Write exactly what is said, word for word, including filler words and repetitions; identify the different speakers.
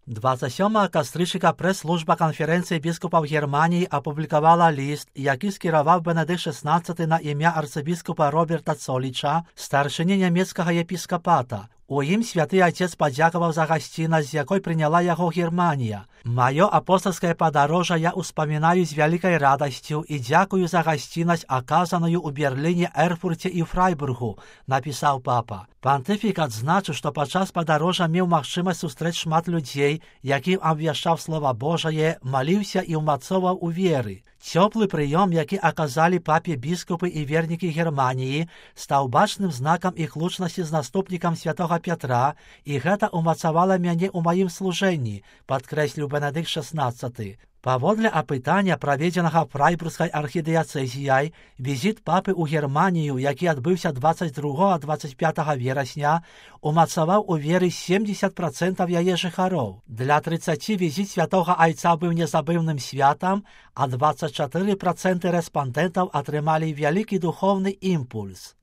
Speaker 1: двадцять сьомого кастрычніка прэс-служба канферэнцыі біскупаў Германіі апублікавала ліст, які скіраваў Бенедыкт шаснаццаты на імя арцыбіскупа Роберта Цоліча, старшыні нямецкага епіскапата. У ім святы Отец падзякаваў за гасціннасць, з якой прыняла яго Германія. «Маё апостольскае падарожжа я успамінаю з вялікай радасцю і дзякую за гасціннасць, аказаную ў Берліне, Эрфурце і Фрайбургу», напісаў папа. Пантыфік адзначыў, што падчас падарожжа меў магчымасць сустрэць шмат людзей, якім абвяшчаў слова Божае, маліўся і ўмацоўваў у веры. Цёплы прыём, які аказалі папе біскупы і вернікі Германіі, стаў бачным знакам іх лучнасці з наступнікам святога Пятра, і гэта ўмацавала мяне ў маім служэнні, падкрэсліў Бенедыкт шаснаццаты. Паводле апытання, праведзенага фрайбургскай архідыяцэзіяй, візіт папы ў Германію, які адбыўся дваццаць другога - дваццаць пятага верасня, умацаваў у веры семдзесят працэнтаў яе жыхароў. Для трыццаці візіт святога айца быў незабыўным святам, а дваццаць чатыры працэнты рэспандэнтаў атрымалі вялікі духоўны імпульс.